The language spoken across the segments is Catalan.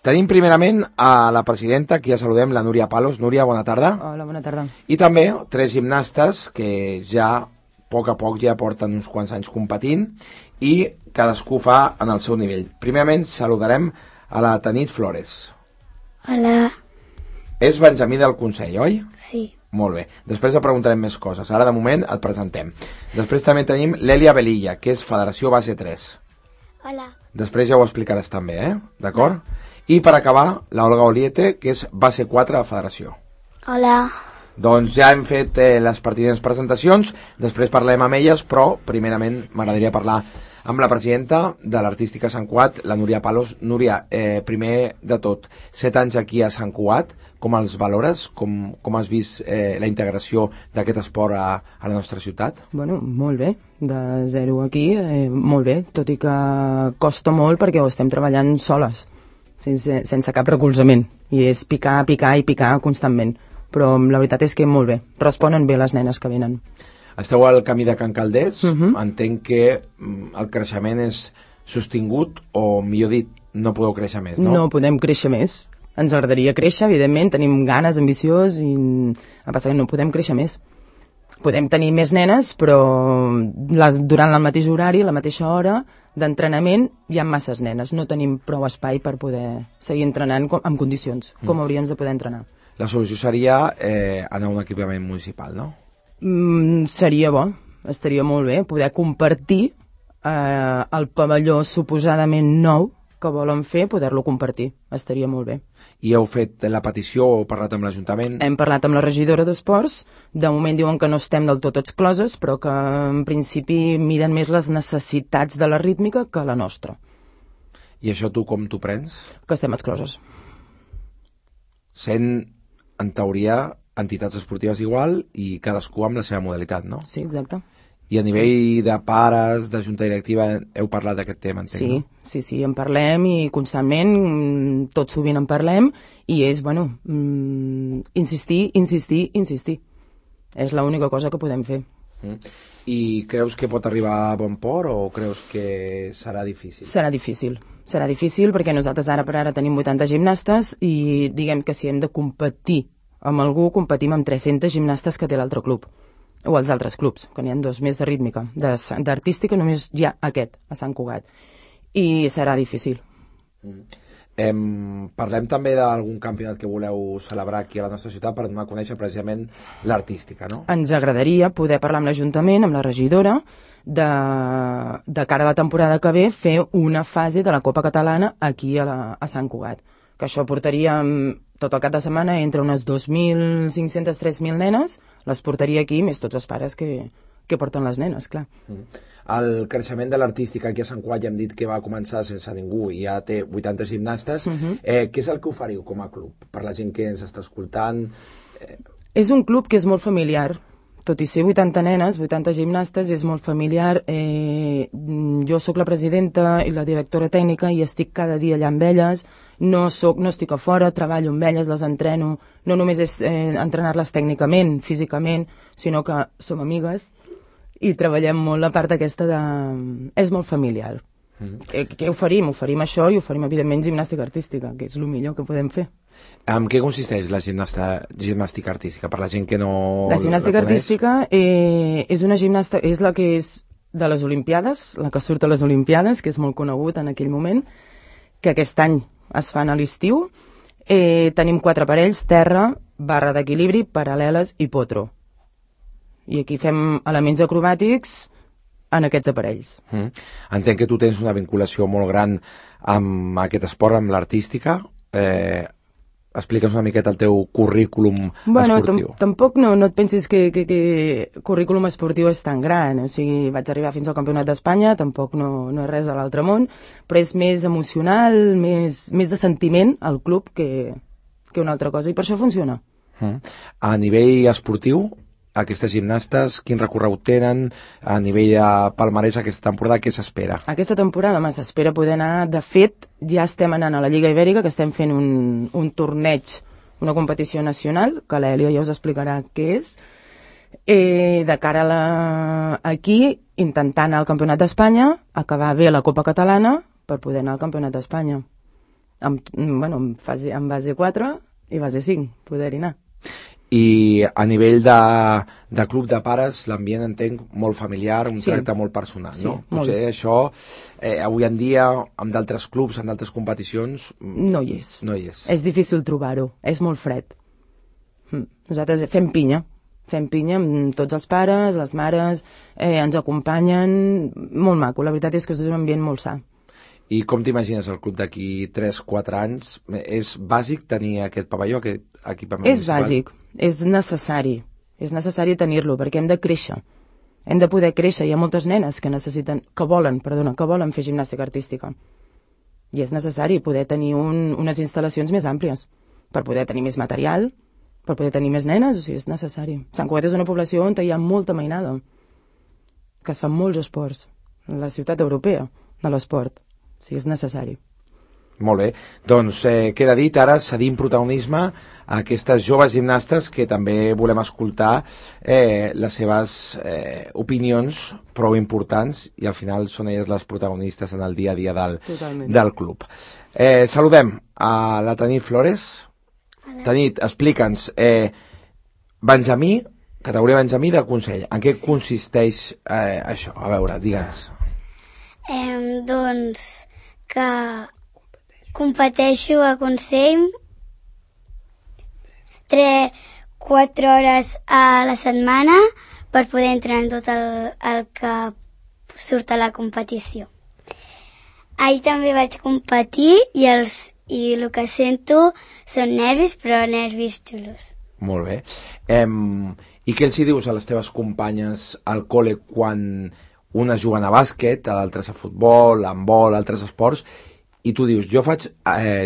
Tenim primerament a la presidenta, que ja saludem, la Núria Palos. Núria, bona tarda. Hola, bona tarda. I també 3 gimnastes que ja a poc ja porten uns quants anys competint i cadascú fa en el seu nivell. Primerament saludarem a la Tanit Flores. Hola. És Benjamí del Consell, oi? Sí. Molt bé. Després et preguntarem més coses. Ara, de moment, et presentem. Després també tenim l'Èlia Velilla, que és Federació Base 3. Hola. Després ja ho explicaràs també, D'acord? I per acabar, la Olga Oliete, que és Base 4 de Federació. Hola. Doncs ja hem fet les pertinents presentacions, després parlem amb elles, però primerament m'agradaria parlar amb la presidenta de l'Artística Sant Cugat, la Núria Palos. Núria, primer de tot, 7 anys aquí a Sant Cugat, com els valores? Com has vist la integració d'aquest esport a la nostra ciutat? Bueno, molt bé, de 0 aquí, molt bé, tot i que costa molt perquè ho estem treballant soles, sense cap recolzament, i és picar constantment, però la veritat és que molt bé, responen bé les nenes que venen. Esteu al camí de Can Calders, entenc que el creixement és sostingut, o millor dit, no podeu créixer més, no? No podem créixer més, ens agradaria créixer, evidentment, tenim ganes, ambiciós, i el que passa que no podem créixer més. Podem tenir més nenes, però durant el mateix horari, la mateixa hora d'entrenament, hi ha masses nenes, no tenim prou espai per poder seguir entrenant en condicions, com hauríem de poder entrenar. La solució seria anar a un equipament municipal, no? Seria bo, estaria molt bé poder compartir el pavelló suposadament nou que volen fer, poder-lo compartir, estaria molt bé. I heu fet la petició o parlat amb l'Ajuntament? Hem parlat amb la regidora d'Esports, de moment diuen que no estem del tot excloses, però que en principi miren més les necessitats de la rítmica que la nostra. I això tu com t'ho prens? Que estem excloses. Sent, en teoria, entitats esportives igual i cadascú amb la seva modalitat, no? Sí, exacte. I a nivell de pares, de junta directiva, heu parlat d'aquest tema, entenc, sí, no? Sí, en parlem i constantment, tot sovint en parlem, i és, bueno, insistir. És l'única cosa que podem fer. I creus que pot arribar a bon port o creus que serà difícil? Serà difícil perquè nosaltres ara per ara tenim 80 gimnastes i diguem que si hem de competir amb algú, competim amb 300 gimnastes que té l'altre club, o els altres clubs, que n'hi ha 2 més de rítmica. D'artística només hi ha aquest, a Sant Cugat. I serà difícil. Parlem també d'algun campionat que voleu celebrar aquí a la nostra ciutat per donar a conèixer precisament l'artística, no? Ens agradaria poder parlar amb l'Ajuntament, amb la regidora, de cara a la temporada que ve, fer una fase de la Copa Catalana aquí a Sant Cugat. Que això portaria tot el cap de setmana entre unes 2.500, 3.000 nenes, les portaria aquí, més tots els pares que porten les nenes, clar. El creixement de l'artística aquí a Sant Cugat ja hem dit que va començar sense ningú i ja té 80 gimnastes. Què és el que oferiu com a club? Per la gent que ens està escoltant... És un club que és molt familiar. Tot i ser 80 nenes, 80 gimnastes, és molt familiar. Jo sóc la presidenta i la directora tècnica i estic cada dia allà amb elles. No estic a fora, treballo amb elles, les entreno. No només és entrenar-les tècnicament, físicament, sinó que som amigues i treballem molt la part aquesta de... És molt familiar. Què oferim? Oferim això i oferim, evidentment, gimnàstica artística, que és el millor que podem fer. En què consisteix la gimnàstica artística, per la gent que no la gimnàstica artística és una gimnasta, és la que és de les Olimpiades, la que surt a les Olimpiades, que és molt conegut en aquell moment, que aquest any es fan a l'estiu. Tenim 4 aparells, terra, barra d'equilibri, paral·leles i potro. I aquí fem elements acrobàtics en aquests aparells. Entenc que tu tens una vinculació molt gran amb aquest esport, amb l'artística. Explica'ns una miqueta el teu currículum esportiu. Tampoc no et pensis que currículum esportiu és tan gran. O sigui, vaig arribar fins al Campionat d'Espanya, tampoc no és res de l'altre món, però és més emocional, més de sentiment al club que una altra cosa, i per això funciona. A nivell esportiu, aquestes gimnastes, quin recorregut tenen? A nivell de palmarès aquesta temporada, què s'espera? Aquesta temporada s'espera poder anar, de fet, ja estem anant a la Lliga Ibèrica, que estem fent un torneig, una competició nacional, que l'Èlia ja us explicarà què és, de cara aquí, intentant anar al Campionat d'Espanya, acabar bé la Copa Catalana, per poder anar al Campionat d'Espanya. en base 4 i base 5, poder-hi anar. I a nivell de club de pares, l'ambient entenc molt familiar, un tracte molt personal, sí, no? Potser això, avui en dia, amb d'altres clubs, en d'altres competicions... No hi és. No hi és. És difícil trobar-ho, és molt fred. Nosaltres fem pinya amb tots els pares, les mares, ens acompanyen, molt maco, la veritat és que és un ambient molt sa. I com t'imagines el club d'aquí 3-4 anys? És bàsic tenir aquest pavelló, aquest equipament municipal? És bàsic, és necessari tenir-lo perquè hem de créixer, hem de poder créixer. Hi ha moltes nenes que volen fer gimnàstica artística i és necessari poder tenir unes instal·lacions més àmplies per poder tenir més material, per poder tenir més nenes, o sigui, és necessari. Sant Cugat és una població on hi ha molta mainada, que es fan molts esports, la ciutat europea de l'esport, o sigui, és necessari. Molt bé, doncs queda dit, ara cedim protagonisme a aquestes joves gimnastes que també volem escoltar les seves opinions prou importants i al final són elles les protagonistes en el dia a dia del club. Saludem a la Tanit Flores. Tanit, explica'ns, Benjamí, categoria Benjamí de Consell, en què consisteix això? A veure, digue'ns. Doncs que competeixo a Consell 3-4 hores a la setmana per poder entrenar tot el que surt a la competició. Ahir també vaig competir i el que sento són nervis, però nervis xulos. Molt bé. I què els hi dius a les teves companyes al col·le quan unes juguen a bàsquet, d'altres a futbol, a handbol, altres esports, i tu dius, jo faig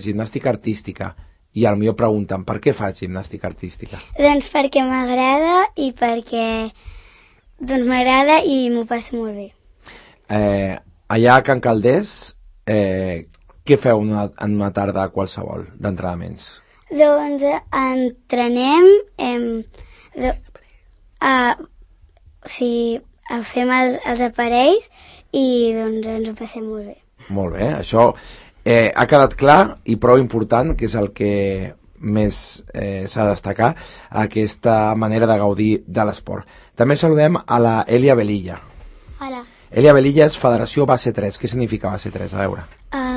gimnàstica artística, i potser pregunten, per què faig gimnàstica artística? Doncs perquè m'agrada i m'agrada i m'ho passo molt bé. Allà a Can Calders, què feu en una tarda qualsevol d'entrenaments? Doncs entrenem, fem els aparells i doncs ens ho passem molt bé. Molt bé, això ha quedat clar i prou important, que és el que més s'ha de destacar, aquesta manera de gaudir de l'esport. També saludem a la Elia Velilla. Hola. Elia Velilla és Federació Base 3. Què significa Base 3? A veure.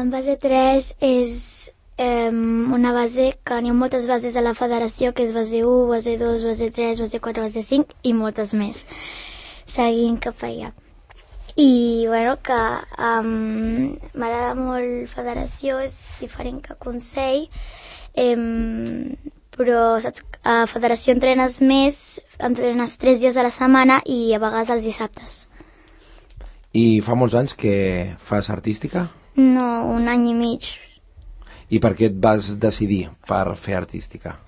Base 3 és una base que n'hi ha moltes bases a la federació, que és base 1, base 2, base 3, base 4, base 5 i moltes més, seguint cap allà. I que m'agrada molt federació, és diferent que Consell, però saps, a federació entrenes 3 dies a la setmana i a vegades els dissabtes. I fa molts anys que fas artística? No, 1 any i mig. I per què et vas decidir per fer artística?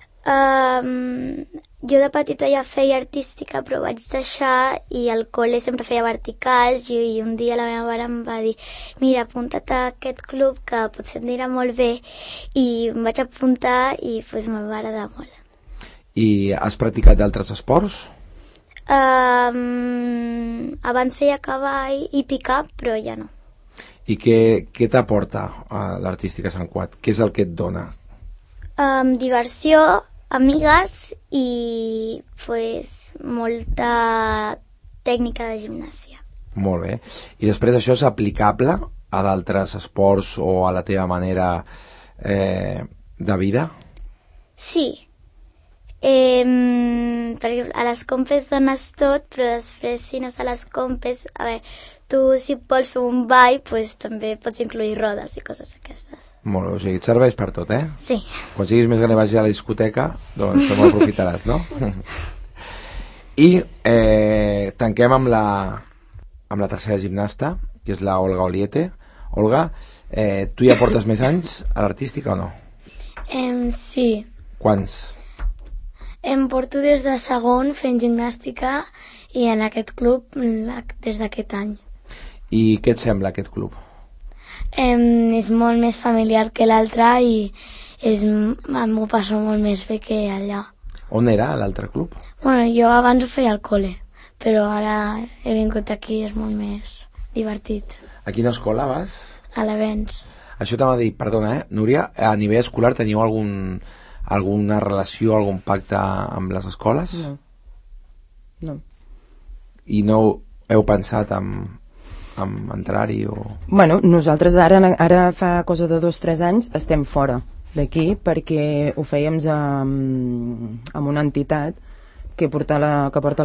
Jo de petita ja feia artística, però vaig deixar i al col·le sempre feia verticals i un dia la meva mare em va dir, mira, apunta't a aquest club que potser et anirà molt bé, i em vaig apuntar i m'ha agradar molt. I has practicat d'altres esports? Abans feia cavall i picar, però ja no. I què t'aporta l'artística a Sant Cugat? Què és el que et dona? Diversió, amigues i molta tècnica de gimnàsia. Molt bé. I després això és aplicable a d'altres esports o a la teva manera de vida? Sí. Perquè a les compes dones tot, però després si no a les compes, tu si vols fer un ball, també pots incluir rodes i coses aquestes. Molt bé, o sigui, et serveix per tot, eh? Sí. Quan siguis més gran i vagis a la discoteca, doncs te aprofitaràs, no? I tanquem amb la tercera gimnasta, que és la Olga Oliete. Olga, tu ja portes més anys a l'artística o no? Sí. Quants? Em porto des de segon fent gimnàstica i en aquest club des d'aquest any. I què et sembla aquest club? És molt més familiar que l'altre i m'ho passo molt més bé que allà. On era l'altre club? Bueno, jo abans ho feia al col·le, però ara he vingut aquí, és molt més divertit. A quina escola vas? A l'Avenç. Això t'ha de dir, perdona, Núria, a nivell escolar teniu alguna relació, algun pacte amb les escoles? No. I no heu pensat en entrar-hi o... Bueno, nosaltres ara fa cosa de 2 o 3 anys estem fora d'aquí perquè ho fèiem amb una entitat que porta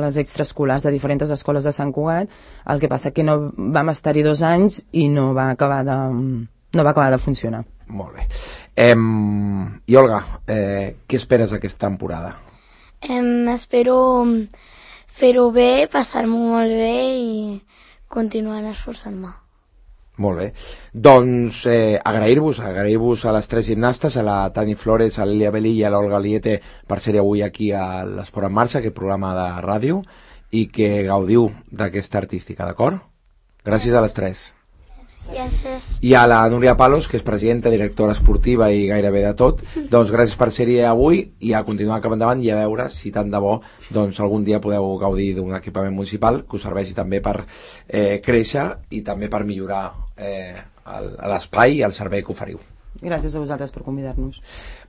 les extraescolars de diferents escoles de Sant Cugat. El que passa que no vam estar-hi 2 anys i no va acabar de funcionar. Molt bé. I Olga, què esperes aquesta temporada? Espero fer-ho bé, passar-m'ho molt bé i continuar esforçant-me. Molt bé. Doncs agrair-vos a les 3 gimnastes, a la Tani Flores, a l'Elia Belí i a l'Olga Liete per ser avui aquí a l'Esport en Marxa, aquest programa de ràdio, i que gaudiu d'aquesta artística, d'acord? Gràcies a les 3. Gràcies. I a la Núria Palos, que és presidenta, directora esportiva i gairebé de tot, doncs gràcies per ser-hi avui i a continuar cap endavant i a veure si tant de bo doncs algun dia podeu gaudir d'un equipament municipal que us serveixi també per créixer i també per millorar l'espai i el servei que oferiu. Gràcies a vosaltres per convidar-nos.